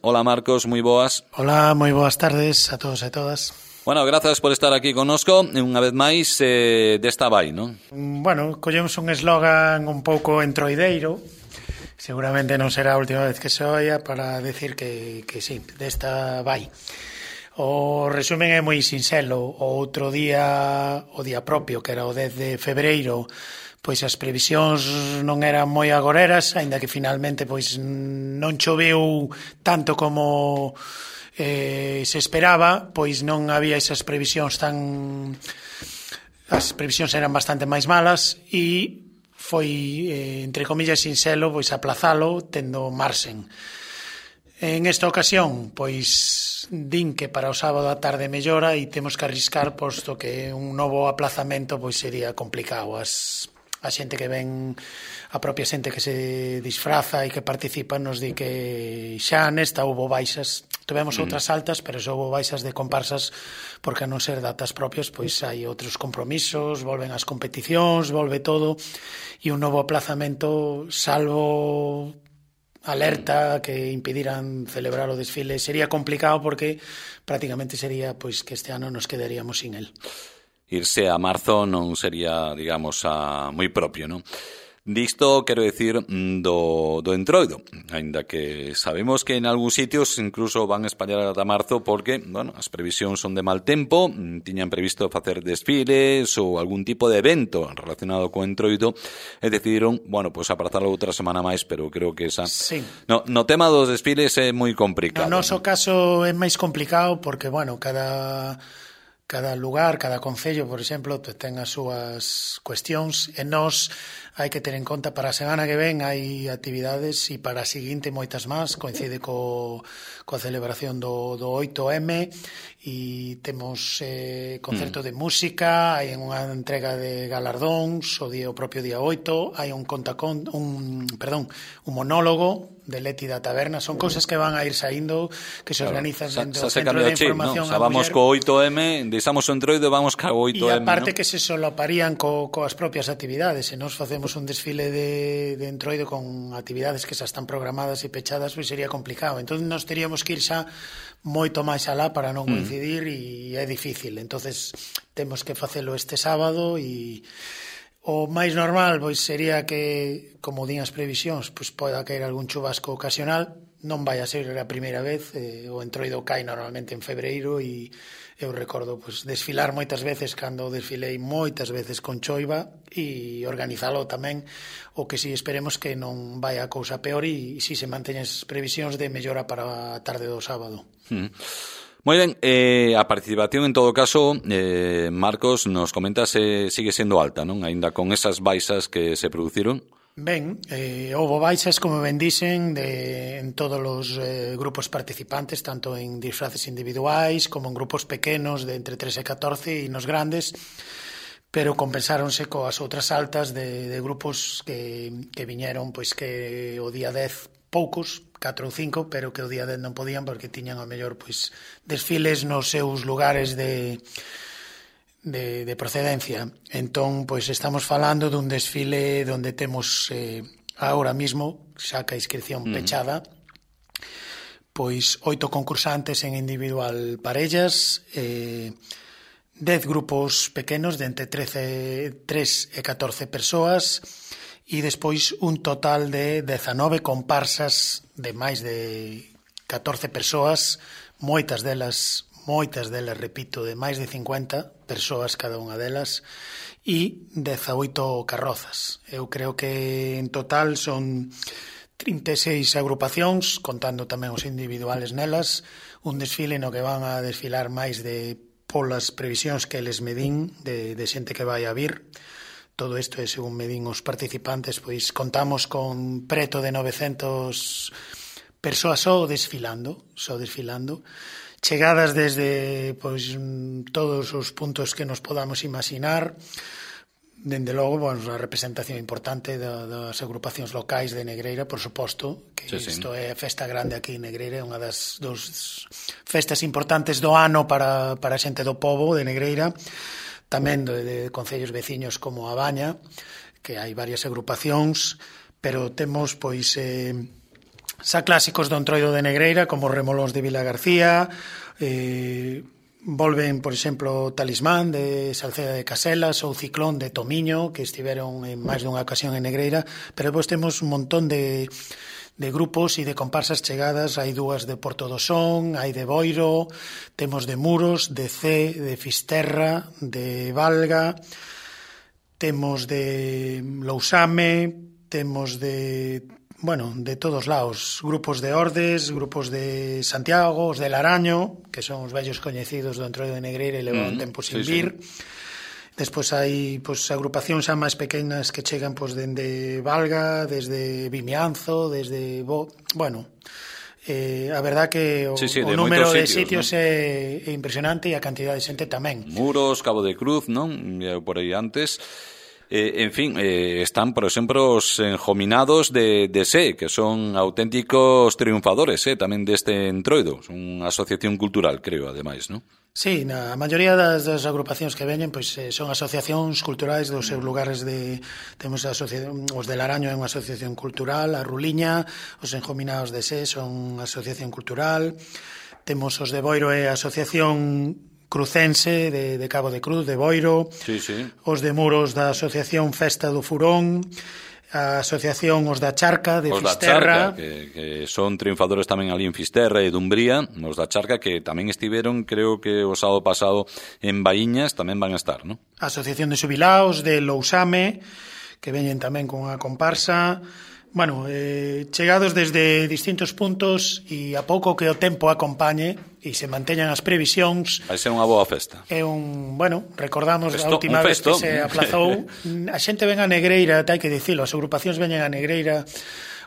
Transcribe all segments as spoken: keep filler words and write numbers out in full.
Hola Marcos, moi boas. Hola, moi boas tardes a todos e todas. Bueno, grazas por estar aquí connosco, unha vez máis, eh, desta vai, non? Bueno, collemos un eslogan un pouco entroideiro, seguramente non será a última vez que se oia, para decir que, que sí, desta vai. O resumen é moi sinxelo. O outro día, o día propio, que era o dez de febreiro, pois as previsións non eran moi agoreras, aínda que finalmente pois non choveu tanto como eh, se esperaba, pois non había esas previsións tan... As previsións eran bastante máis malas e foi, eh, entre comillas, sinxelo, pois aplazalo tendo marxen. En esta ocasión, pois din que para o sábado a tarde mellora e temos que arriscar, posto que un novo aplazamento pois sería complicado. As a xente que ven, a propia xente que se disfraza e que participa nos di que xa nesta houbo baixas, tivemos mm. outras altas, pero xa houbo baixas de comparsas, porque a non ser datas propias pois hai outros compromisos, volven as competicións, volve todo, e un novo aplazamento, salvo alerta que impediran celebrar o desfile, sería complicado, porque prácticamente sería pois que este ano nos quedaríamos sin el. Irse a marzo non sería, digamos, a moi propio, non? Disto, quero dicir, do, do entroido, aínda que sabemos que en algúns sitios incluso van a espallar ata marzo porque, bueno, as previsións son de mal tempo, tiñan previsto facer desfiles ou algún tipo de evento relacionado co entroido e decidiron, bueno, pois pues, aprazarlo outra semana máis, pero creo que esa... Sí. No, no tema dos desfiles é moi complicado. No noso, ¿no?, caso é máis complicado porque, bueno, cada... Cada lugar, cada concello, por exemplo, ten as súas cuestións, e nós hai que ter en conta para a semana que ven hai actividades, e para a seguinte moitas máis, coincide co, coa celebración do, do oito eme, e temos eh, concerto mm. de música, hai unha entrega de galardóns o día o propio día oito, hai un contacón, un, perdón, un monólogo de Leti da Taberna, son cousas que van a ir saindo, que se organizan claro, dentro do Centro de Información. No, xa vamos co oito eme, deixamos o entroido e vamos ca oito eme. E aparte, ¿no?, que se solaparían co, coas propias actividades, se nos facemos un desfile de, de entroido con actividades que xa están programadas e pechadas, pois sería complicado. Entón nos teríamos que ir xa moito máis alá para non coincidir, mm. e é difícil. Entonces temos que facelo este sábado, e o máis normal pois sería que, como din as previsións, pois poida caer algún chubasco ocasional. Non vai a ser a primeira vez, eh, o entroido cai normalmente en febreiro, e eu recordo pois desfilar moitas veces cando desfilei moitas veces con choiva, e organizalo tamén, o que si esperemos que non vai a cousa peor, e si se manteñen as previsións de mellora para a tarde do sábado. Mm. Moi ben, eh, a participación en todo caso, eh, Marcos, nos comentas, eh, sigue sendo alta, non? Aínda con esas baixas que se produciron. Ben, eh, houve baixas, como ben dicen, de, en todos os eh, grupos participantes, tanto en disfraces individuais como en grupos pequenos de entre tres e catorce, e nos grandes, pero compensáronse coas outras altas de, de grupos que, que viñeron, pois que o día dez poucos, catro ou cinco, pero que o día dez non podían porque tiñan ao mellor pois desfiles nos seus lugares de de, de procedencia. Entón, pois estamos falando dun desfile onde temos eh, agora mismo, xa que a inscripción mm. pechada, pois oito concursantes en individual parellas, eh, dez grupos pequenos de entre trece, tres e catorce persoas, e despois un total de dezanove comparsas de máis de catorce persoas, moitas delas, moitas delas, repito, de máis de cincuenta persoas cada unha delas, e dezaoito carrozas. Eu creo que en total son trinta e seis agrupacións, contando tamén os individuales nelas, un desfile no que van a desfilar máis de, polas previsións que eles medín, de, de xente que vai a vir. Todo isto é según medín os participantes, pois contamos con preto de novecentas persoas só desfilando, só desfilando, chegadas desde pois todos os puntos que nos podamos imaginar. Dende logo, bueno, a representación importante das agrupacións locais de Negreira, por suposto, que sí, sí. Isto é a festa grande aquí en Negreira, é unha das dos festas importantes do ano para, para a xente do pobo de Negreira, tamén de, de concellos veciños como a Baña, que hai varias agrupacións, pero temos pois eh, xa clásicos do Entroido de Negreira, como Remolóns de Vila García, eh, volven, por exemplo, Talismán de Salceda de Caselas ou Ciclón de Tomiño, que estiveron en máis dunha ocasión en Negreira, pero depois temos un montón de, de grupos e de comparsas chegadas. Hai dúas de Porto do Son, hai de Boiro, temos de Muros, de C, de Fisterra, de Valga, temos de Lousame, temos de... bueno, de todos lados, grupos de Ordes, grupos de Santiago, os de Laraño, que son os vellos coñecidos do Entroido de Negreira e levan mm, tempo sin sí, vir. Sí. Despois hai pois, agrupacións xa máis pequenas que chegan pois, dende Valga, desde Vimianzo, desde... Bo... Bueno, eh, a verdad que o, sí, sí, o número de sitios, ¿no? é, é impresionante e a cantidad de xente tamén. Muros, Cabo de Cruz, non? Por aí antes... Eh, en fin, eh, están, por exemplo, os enjominados de, de S E, que son auténticos triunfadores eh, tamén deste Entroido. Son unha asociación cultural, creo, ademais, non? Sí, na maioría das, das agrupacións que veñen pois, eh, son asociacións culturais dos seus lugares de... Temos a asociación, os de Laraño é unha asociación cultural, a Ruliña, os enjominados de S E son asociación cultural, temos os de Boiro é a asociación crucense de, de Cabo de Cruz, de Boiro, sí, sí. Os de Muros da Asociación Festa do Furón, a Asociación Os da Charca de os Fisterra. Da Charca, que, que son triunfadores tamén ali en Fisterra e Dumbría, os da Charca que tamén estiveron, creo que o sábado pasado en Baíñas, tamén van a estar, non? A Asociación de Xubilaos de Lousame, que veñen tamén con a comparsa. Bueno, eh, chegados desde distintos puntos e a pouco que o tempo acompañe e se manteñan as previsións, vai ser unha boa festa. É un, bueno, recordamos festo, a última vez que se aplazou. A xente ven a Negreira, hai que dicilo, as agrupacións veñen a Negreira,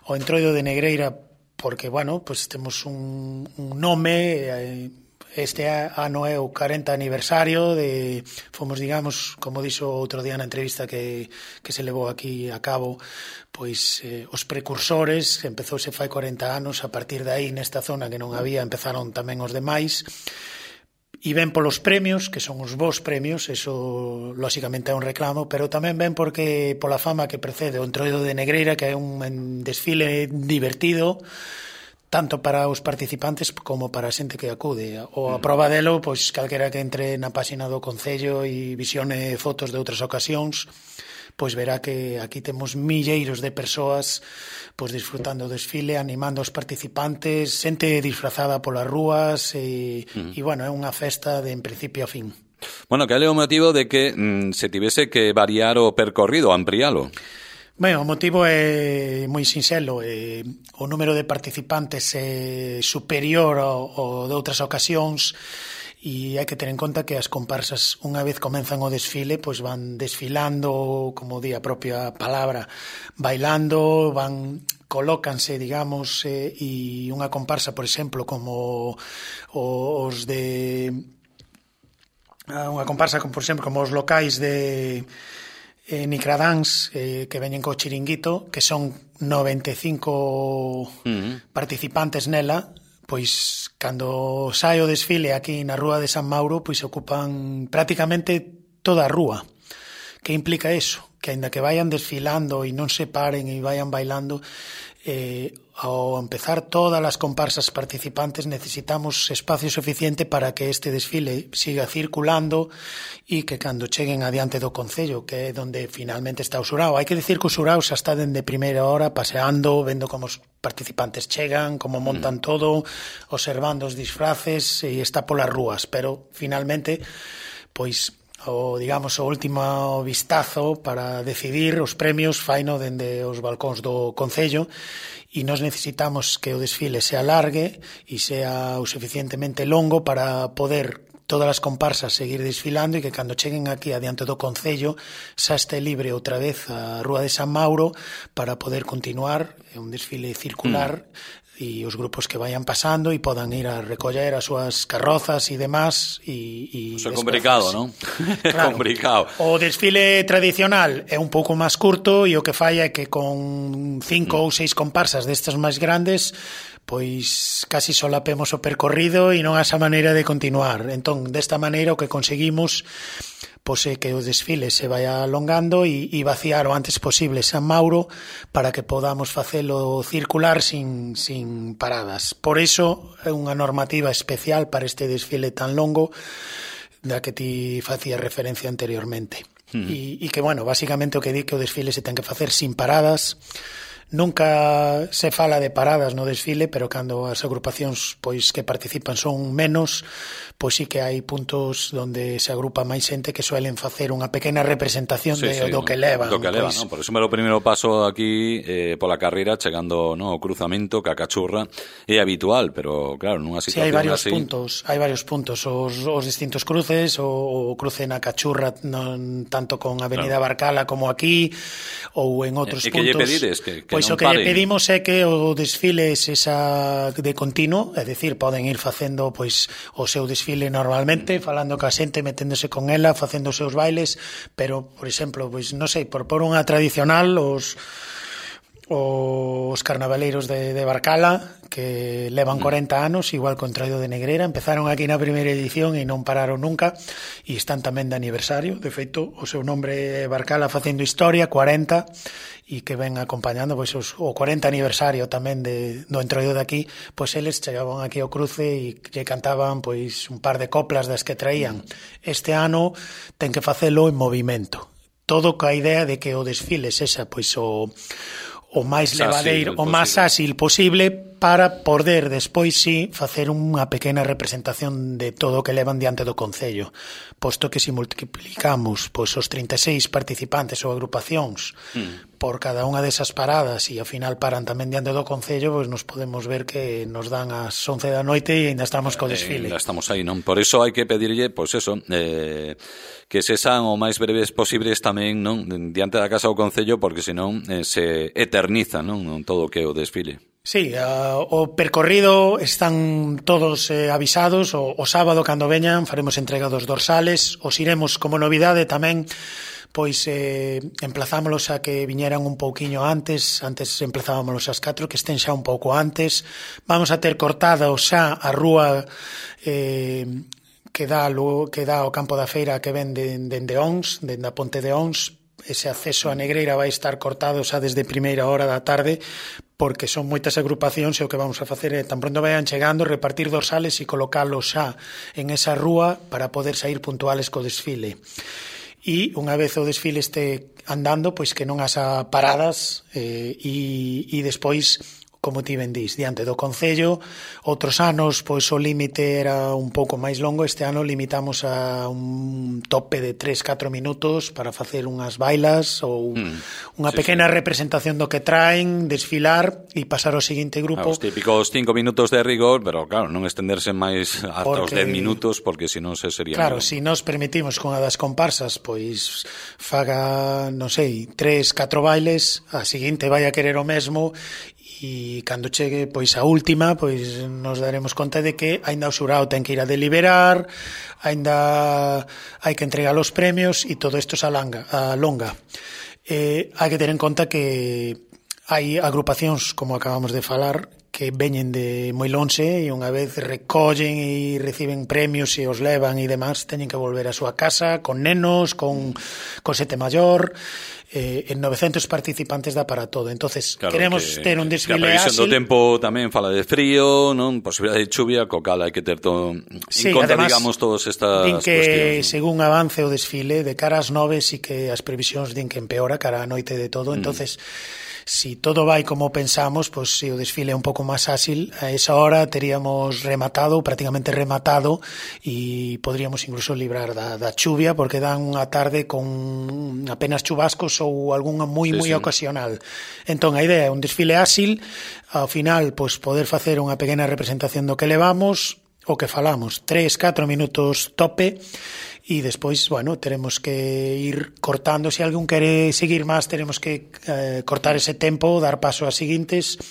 o Entroido de Negreira, porque, bueno, pues temos un, un nome, eh, este ano é o cuarenta aniversario de, fomos, digamos, como dixo outro día na entrevista que, que se levou aquí a cabo, pois eh, os precursores, empezouse fai cuarenta anos, a partir de aí nesta zona que non había, empezaron tamén os demais, e ven polos premios, que son os bons premios, eso lóxicamente é un reclamo, pero tamén ven porque pola fama que precede o Entroido de Negreira, que é un desfile divertido, tanto para os participantes como para a xente que acude. O a proba delo, pois calquera que entre na páxina do Concello e visione fotos de outras ocasións, pois verá que aquí temos milleiros de persoas pois disfrutando do desfile, animando os participantes, xente disfrazada polas rúas e, uh-huh. e bueno, é unha festa de en principio a fin. Bueno, que é o motivo de que mm, se tivese que variar o percorrido, ampliálo? Ben, o motivo é moi sinxelo. Eh, o número de participantes é superior ao, ao de outras ocasións e hai que ter en conta que as comparsas, unha vez comenzan o desfile, pois van desfilando, como di a propia palabra, bailando, van colócanse, digamos, eh, e unha comparsa, por exemplo, como os de... unha comparsa, como, por exemplo, como os locais de... Eh, Nicradáns, eh, que veñen co chiringuito, que son noventa e cinco uh-huh. participantes nela, pois cando sai o desfile aquí na Rúa de San Mauro, pois ocupan prácticamente toda a rúa. Que implica eso? Que aínda que vayan desfilando e non se paren e vayan bailando, eh, ao empezar todas as comparsas participantes necesitamos espacio suficiente para que este desfile siga circulando e que cando cheguen adiante do Concello, que é onde finalmente está o Surao. Hai que dicir que o Surao xa está dende primeira hora paseando, vendo como os participantes chegan, como montan todo, observando os disfraces e está polas rúas, pero finalmente, pois, o, digamos, o último vistazo para decidir os premios faino dende os balcóns do Concello e nós necesitamos que o desfile se alargue e sea o suficientemente longo para poder todas as comparsas seguir desfilando e que cando cheguen aquí adiante do Concello xa este libre outra vez a Rúa de San Mauro para poder continuar un desfile circular mm. e os grupos que vayan pasando e podan ir a recoller as súas carrozas e demás e, e Eso é complicado, non? Claro, complicado. O desfile tradicional é un pouco máis curto e o que fai é que con cinco mm. ou seis comparsas destas máis grandes pois casi solapemos o percorrido e non a esa maneira de continuar. Entón, desta maneira o que conseguimos pois é que o desfile se vai alongando e, e vaciar o antes posible San Mauro para que podamos facelo circular sin, sin paradas. Por iso é unha normativa especial para este desfile tan longo da que ti facías referencia anteriormente. Uh-huh. E, e que, bueno, basicamente o que di que o desfile se ten que facer sin paradas. Nunca se fala de paradas no desfile, pero cando as agrupacións pois que participan son menos, pois sí que hai puntos onde se agrupa máis xente que suelen facer unha pequena representación sí, de, sí, do que levan. Do que levan, pois. ¿no? Por eso me lo primeiro paso aquí eh, pola carreira, chegando no, o cruzamento, que a cachurra é habitual, pero claro, nunha situación así... Sí, hai varios así... puntos, hai varios puntos, os, os distintos cruces, o, o cruce na cachurra, non tanto con Avenida claro. Barcala como aquí, ou en outros e, puntos. E que lle pedides? Que, que pois o que lle pedimos é que o desfile esa de continuo, é dicir, poden ir facendo pois o seu desfile normalmente, falando ca xente, meténdose con ela, facendo os seus bailes, pero, por exemplo, pois non sei, por por unha tradicional, os os carnavaleiros de, de Barcala, que levan corenta anos, igual con Traído de Negreira, empezaron aquí na primeira edición e non pararon nunca, e están tamén de aniversario, de feito, o seu nombre é Barcala facendo historia, cuarenta, e que ven acompañando pois os, o cuarenta aniversario tamén de, do entroido de aquí, pois eles chegaban aquí ao cruce e lle cantaban pois un par de coplas das que traían. Este ano ten que facelo en movimento, todo coa idea de que o desfile sexa pois o o máis levadeiro, o máis áxil posible para poder despois sí facer unha pequena representación de todo o que levan diante do Concello, posto que se multiplicamos pois os trinta e seis participantes ou agrupacións mm. por cada unha desas paradas e ao final paran tamén diante do Concello, pois nos podemos ver que nos dan as once da noite e ainda estamos co desfile. Eh, ainda estamos aí, non? Por iso hai que pedirlle, pois eso, eh, que se san o máis breves posibles tamén, non, diante da Casa do Concello, porque senón eh, se eterniza, non, non todo o que é o desfile. Sí, uh, o percorrido están todos eh, avisados, o, o sábado cando veñan faremos entrega dos dorsales, os iremos como novidade tamén, pois eh, emplazámolos a que viñeran un pouquiño antes, antes emplazábamos ás catro, que estén xa un pouco antes, vamos a ter cortada xa a rúa eh, que dá, que dá ao campo da feira que ven dende de, de Ons, dende a Ponte de Ons. Ese acceso a Negreira vai estar cortado xa desde primeira hora da tarde, porque son moitas agrupacións e o que vamos a facer é, tan pronto vayan chegando, repartir dorsales e colocalos xa en esa rúa para poder sair puntuales co desfile. E unha vez o desfile este andando, pois que non haxa paradas eh, e, e despois, como ti ben dís, diante do Concello. Outros anos, pois o límite era un pouco máis longo, este ano limitamos a un tope de tres a catro minutos para facer unhas bailas ou mm, unha sí, pequena sí. representación do que traen, desfilar e pasar ao seguinte grupo. Ah, os típicos cinco minutos de rigor, pero claro, non estenderse máis ata porque, os dez minutos, porque senón se sería... Claro, se si nos permitimos con a das comparsas, pois faga, non sei, tres, catro bailes, a seguinte vai a querer o mesmo, e cando chegue pois a última, pois nos daremos conta de que aínda o xurado ten que ir a deliberar, aínda hai que entregar os premios e todo isto se alanga, alonga. Eh, hai que ter en conta que hai agrupacións, como acabamos de falar, que veñen de moi lonxe e unha vez recollen e reciben premios e os levan e demás, teñen que volver a súa casa con nenos, con, con sete maior. Eh, en novecientos participantes dá para todo. Entonces, claro, queremos que, ter un desfile áxil. A previsión do tempo tamén fala de frío, non? Posibilidade de chuvia, co cal hai que ter todo sí, en conta, además, digamos, todas estas din que, cuestións, ¿no? Según avance o desfile, de cara ás nove, sí que as previsións din que empeora cara á noite de todo. Mm. Entonces, si todo vai como pensamos, pois pues, se o desfile é un pouco máis áxil, a esa hora teríamos rematado, prácticamente rematado, e podríamos incluso librar da, da chuvia, porque dan unha tarde con apenas chubascos ou algunha moi, sí, moi sí. ocasional. Entón, a idea é un desfile áxil, ao final, pois, poder facer unha pequena representación do que levamos, o que falamos, tres, catro minutos tope, e despois, bueno, teremos que ir cortando. Se alguén quere seguir máis, teremos que eh, cortar ese tempo, dar paso ás seguintes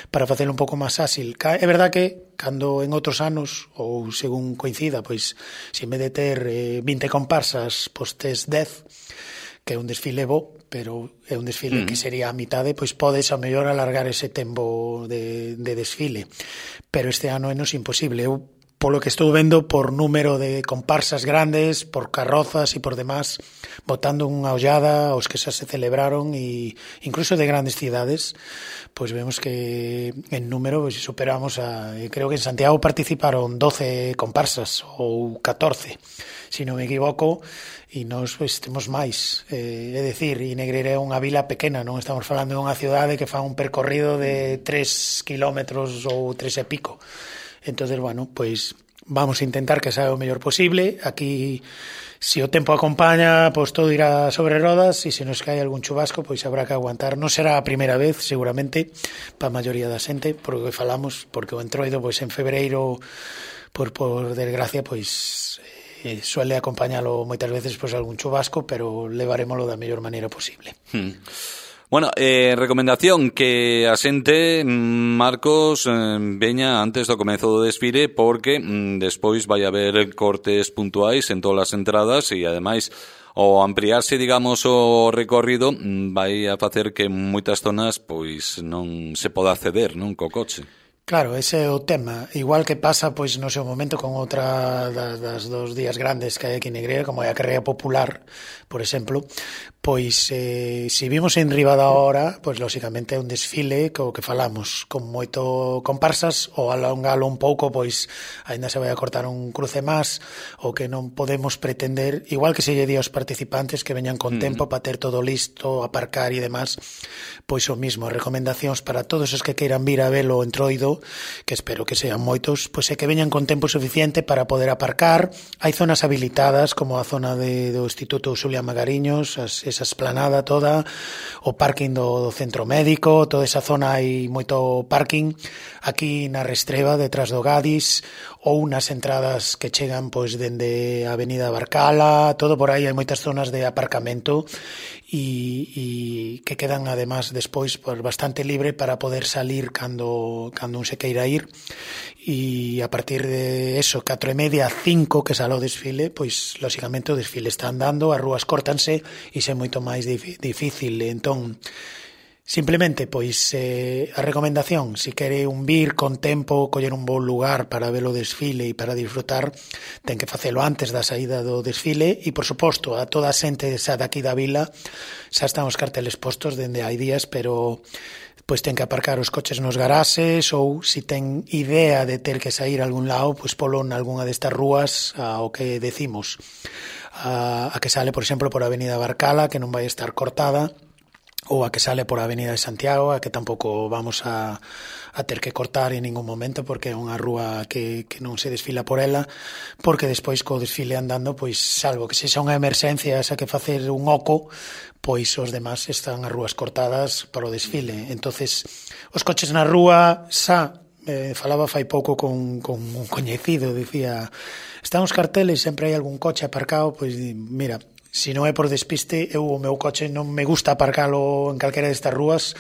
para facelo un pouco máis áxil. É verdad que cando en outros anos, ou según coincida, pois, se en vez de ter eh, vinte comparsas, pois tes dez, que é un desfile bo, pero é un desfile mm. que sería a mitade, pois podes a mellor alargar ese tempo de, de desfile. Pero este ano é nos imposible. Eu polo que estou vendo, por número de comparsas grandes, por carrozas e por demás, botando unha ollada aos que xa se celebraron e incluso de grandes cidades, pois vemos que en número pois, superamos a... Creo que en Santiago participaron doce comparsas ou catorce, se non me equivoco, e nós pois, temos máis. Eh, é dicir, e Negreira é unha vila pequena, non estamos falando de unha cidade que fa un percorrido de tres kilómetros ou tres e pico. Entonces, bueno, pois vamos a intentar que sea o mellor posible. Aquí, se o tempo acompaña, pois todo irá sobre rodas, e se nos cae algún chubasco, pois habrá que aguantar. Non será a primeira vez, seguramente, para a maioría da xente, por o que falamos, porque o Entroido, pois en febreiro, por, por desgracia, pois eh, suele acompañalo moitas veces pois algún chubasco, pero levarémolo da mellor maneira posible. Hmm. Bueno, eh, recomendación que a xente, Marcos, eh, veña antes do comezo do desfile, porque mm, despois vai haber cortes puntuais en todas as entradas e, ademais, ao ampliarse, digamos, o recorrido, vai a facer que en moitas zonas pois non se poda acceder, non, co coche. Claro, ese é o tema. Igual que pasa, pois, no seu momento con outra das, das dos días grandes que hai aquí en Negreira, como é a carreira popular, por exemplo, pois, eh, se vimos en riba da hora, pois, lóxicamente, é un desfile co que falamos, con moito comparsas, ou alongalo un pouco, pois, ainda se vai a cortar un cruce máis, o que non podemos pretender, igual que se lle di aos participantes que veñan con mm. tempo para ter todo listo, aparcar e demás, pois o mismo, recomendacións para todos os que queiran vir a velo o Entroido, que espero que sean moitos, pois é que veñan con tempo suficiente para poder aparcar. Hai zonas habilitadas, como a zona de, do Instituto Xulia Magariños, as, esa esplanada toda, o parking do, do centro médico, toda esa zona hai moito parking. Aquí na Restreba, detrás do Gadis, ou nas entradas que chegan pois dende a Avenida Barcala, todo por aí, hai moitas zonas de aparcamento e, e que quedan además despois pues, bastante libre para poder salir cando, cando un se queira ir, e a partir de eso, catro e media, cinco que sale o desfile, pois lóxicamente o desfile está andando, as rúas córtanse e xe moito máis difícil. Entón, simplemente, pois, eh, a recomendación, se quere un vir con tempo, coller un bon lugar para ver o desfile e para disfrutar, ten que facelo antes da saída do desfile e, por suposto, a toda a xente xa daqui da vila xa están os carteles postos dende hai días, pero pois ten que aparcar os coches nos garaxes ou, se ten idea de ter que sair a algún lado, pois polo en algunha destas rúas ao que decimos. A, a que sale, por exemplo, por a Avenida Barcala, que non vai estar cortada, ou a que sale por a Avenida de Santiago, a que tampouco vamos a, a ter que cortar en ningún momento, porque é unha rúa que, que non se desfila por ela, porque despois co desfile andando, pois salvo que sexa unha emerxencia esa que facer un oco, pois os demás están as rúas cortadas para o desfile. Entonces, os coches na rúa xa, eh, falaba fai pouco con, con un coñecido, dicía, están os carteles, sempre hai algún coche aparcado, pois mira, se non é por despiste, eu o meu coche non me gusta aparcalo en calquera destas rúas,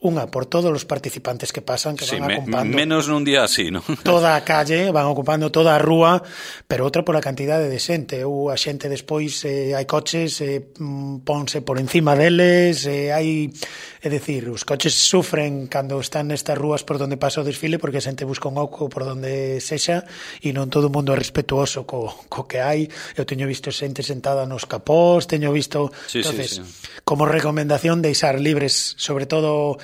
unha, por todos os participantes que pasan, que sí, van ocupando... Me, menos nun día así, non? Toda a calle, van ocupando toda a rúa, pero outra por a cantidade de xente. Ou a xente despois, eh, hai coches, eh, ponse por encima deles, eh, hai... É dicir, os coches sufren cando están nestas rúas por donde pasa o desfile, porque a xente busca un oco por donde sexa, e non todo o mundo é respetuoso co, co que hai. Eu teño visto xente sentada nos capós, teño visto... Sí, entonces, sí, sí. Como recomendación, deixar libres, sobre todo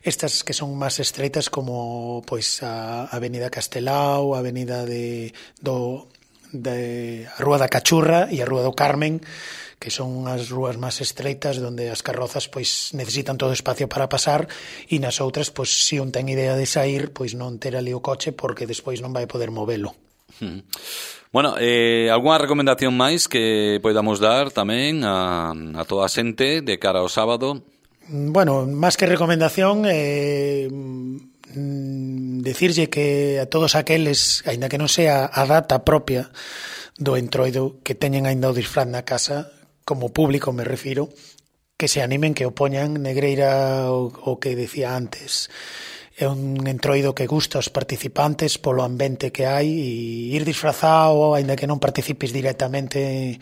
estas que son máis estreitas, como pois a Avenida Castelao, a Avenida de, do, de a Rúa da Cachurra e a Rúa do Carmen, que son as rúas máis estreitas onde as carrozas pois necesitan todo espacio para pasar, e nas outras, pois se un ten idea de sair, pois non ter ali o coche porque despois non vai poder movelo. Hmm. Bueno, eh, algunha recomendación máis que podamos dar tamén a, a toda a xente de cara ao sábado? Bueno, máis que recomendación, eh, decirlle que a todos aqueles, aínda que non sea a data propia do Entroido, que teñen aínda o disfraz na casa, como público me refiro, que se animen, que o poñan. Negreira o, o que decía antes, é un entroido que gusta aos participantes polo ambiente que hai, e ir disfrazado, aínda que non participes directamente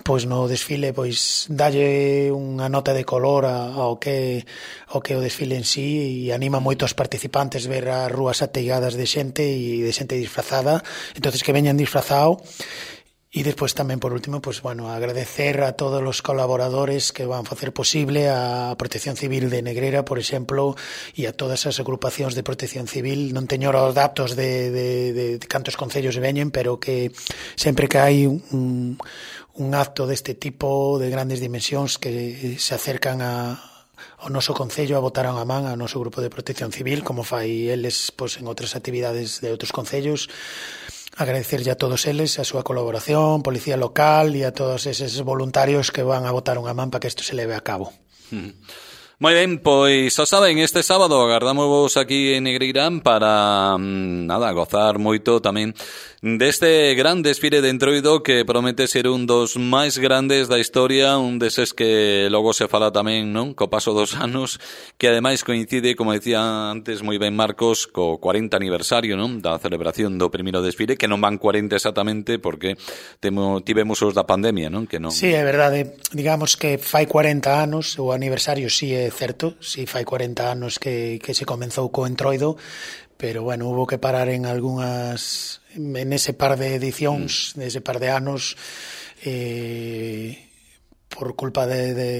pois no desfile, pois dalle unha nota de color ao que ao que o desfile en sí, e anima moito aos participantes ver as rúas ateigadas de xente e de xente disfrazada, entonces que veñan disfrazado. E despois tamén, por último, pues, bueno, agradecer a todos os colaboradores que van facer posible a Protección Civil de Negreira, por exemplo, e a todas as agrupacións de Protección Civil. Non teño os datos de, de, de, de cantos concellos veñen, pero que sempre que hai un, un acto deste tipo de grandes dimensións que se acercan a ao noso concello a botar unha man ao noso grupo de Protección Civil, como fai eles pois, en outras actividades de outros concellos. Agradecerlle a todos eles a súa colaboración, policía local e a todos eses voluntarios que van a botar unha man para que isto se leve a cabo. Mm. Moi ben, pois xa saben, este sábado agardamos aquí en Negreirán para, nada, gozar moito tamén deste gran desfile de entroido que promete ser un dos máis grandes da historia, un deses que logo se fala tamén, non, co paso dos anos, que ademais coincide, como decía antes moi ben Marcos, co cuarenta aniversario, non, da celebración do primeiro desfile, que non van cuarenta exactamente porque temo, tivemos os da pandemia, non, que non. Sí, é verdade, digamos que fai cuarenta anos, o aniversario sí é certo, si fai cuarenta anos que, que se comenzou co entroido, pero bueno, hubo que parar en algunhas, en ese par de edicións, mm. ese par de anos, eh, por culpa de, de,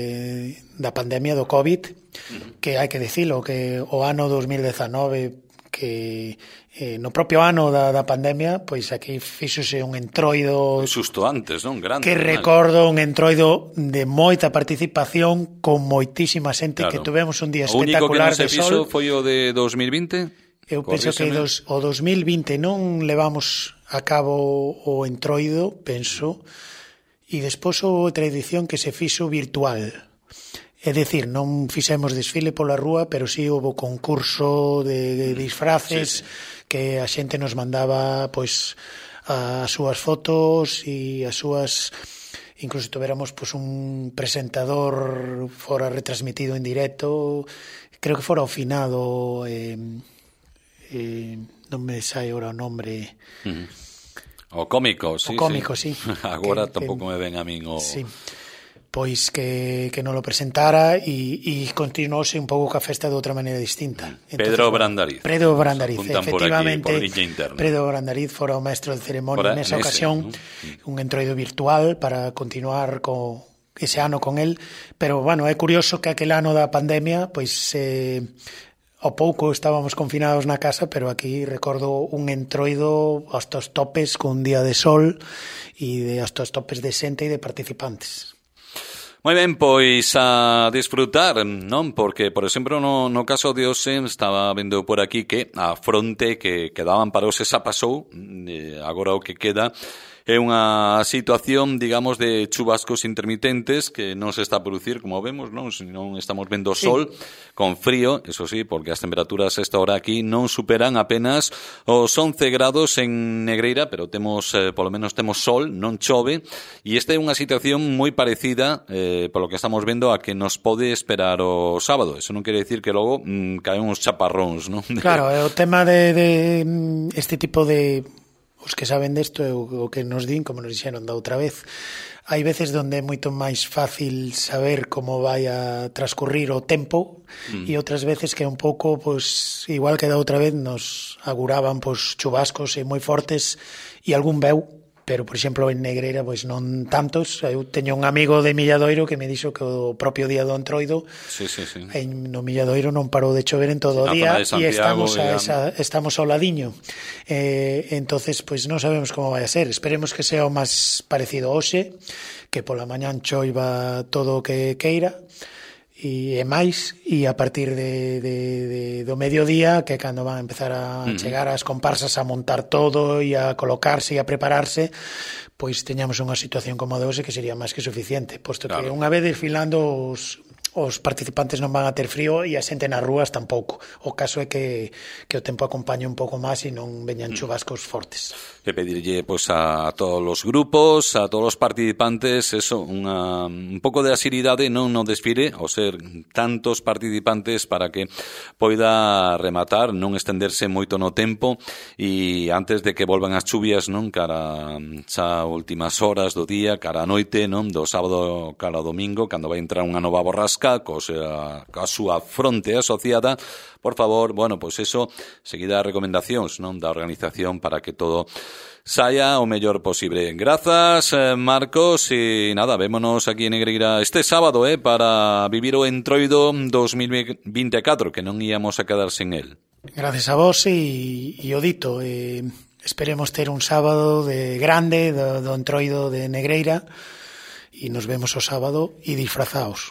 da pandemia do COVID, mm. que hai que dicilo, que o ano dos mil dezanove, que eh, no propio ano da, da pandemia, pois aquí fíxose un entroido xusto antes, non? Grande, que recordo un entroido de moita participación con moitísima xente, claro. Que tuvemos un día espectacular de sol. O único que non se fixo foi o de dos mil vinte? Eu penso que dos, o dos mil vinte non levamos a cabo o entroido, penso, e despois outra edición que se fixo virtual. É dicir, non fixemos desfile pola rúa, pero sí houve concurso de disfraces, sí, sí. Que a xente nos mandaba pois as súas fotos e as súas, incluso tuveramos pois un presentador fora retransmitido en directo, creo que fora o finado, eh, eh, non me sai ora o nombre. Uh-huh. O cómico, sí. O cómico, sí. sí. Agora que, tampouco que, me ven a min o... Sí. Pois que, que non lo presentara e, e continuouse un pouco ca festa de outra maneira distinta. Entonces, Pedro Brandariz. Pedro Brandariz, efectivamente. Por aquí, por Pedro Brandariz fora o maestro de ceremonia nesa ocasión, ¿no? Un entroido virtual para continuar co ese ano con el, pero bueno, é curioso que aquel ano da pandemia, pois eh, ao pouco estábamos confinados na casa, pero aquí recordo un entroido hasta os topes con un día de sol e de hasta os topes de xente e de participantes. Moi ben, pois a disfrutar, non? Porque, por exemplo, no, no caso de Ose, estaba vendo por aquí que a fronte que quedaban para Ose xa pasou, eh, agora o que queda é unha situación, digamos, de chubascos intermitentes que non se está a producir, como vemos, non? Se non estamos vendo sol, sí. Con frío, eso sí, porque as temperaturas a esta hora aquí non superan apenas os once grados en Negreira, pero temos, eh, polo menos temos sol, non chove, e esta é unha situación moi parecida, eh, polo que estamos vendo, a que nos pode esperar o sábado. Eso non quere decir que logo mm, caen uns chaparróns, non? Claro, é o tema de, de este tipo de... Os que saben desto é o que nos din, como nos dixeron da outra vez. Hai veces onde é moito máis fácil saber como vai a transcurrir o tempo mm. e outras veces que é un pouco, pois, igual que da outra vez, nos aguraban pois, chubascos e moi fortes e algún veu, pero, por exemplo, en Negreira, pois non tantos. Eu teño un amigo de Milladoiro que me dixo que o propio día do entroido sí, sí, sí. En, no Milladoiro non parou de chover en todo o día e estamos a esa, estamos ao ladiño. Eh, entonces, pois non sabemos como vai a ser. Esperemos que sea o máis parecido hoxe, que pola mañán choiva todo o que queira, e máis, e a partir de, de, de, do mediodía, que é cando van a empezar a uh-huh. chegar as comparsas a montar todo e a colocarse e a prepararse, pois teñamos unha situación como a de hoxe que sería máis que suficiente, posto claro. que unha vez desfilando os, os participantes non van a ter frío e a xente nas rúas tampouco. O caso é que, que o tempo acompañe un pouco máis e non veñan chubascos fortes. E pedirlle pues, a todos os grupos, a todos os participantes, eso, unha, un pouco de asiridade non no desfile, ao ser tantos participantes para que poida rematar, non estenderse moito no tempo e antes de que volvan as chuvias, non, cara xa últimas horas do día, cara a noite, non, do sábado cara ao domingo, cando vai entrar unha nova borrasca, co sea, a súa fronte asociada, por favor, bueno, pois pues eso, seguida as recomendacións, non, da organización para que todo saia o mellor posible. Grazas, eh, Marcos, e nada, vémonos aquí en Negreira este sábado, eh, para vivir o Entroido dos mil vinte e catro, que non íamos a quedar sen el. Gracias a vos e, e o dito, eh, esperemos ter un sábado de grande do, do Entroido de Negreira e nos vemos o sábado e disfrazaos.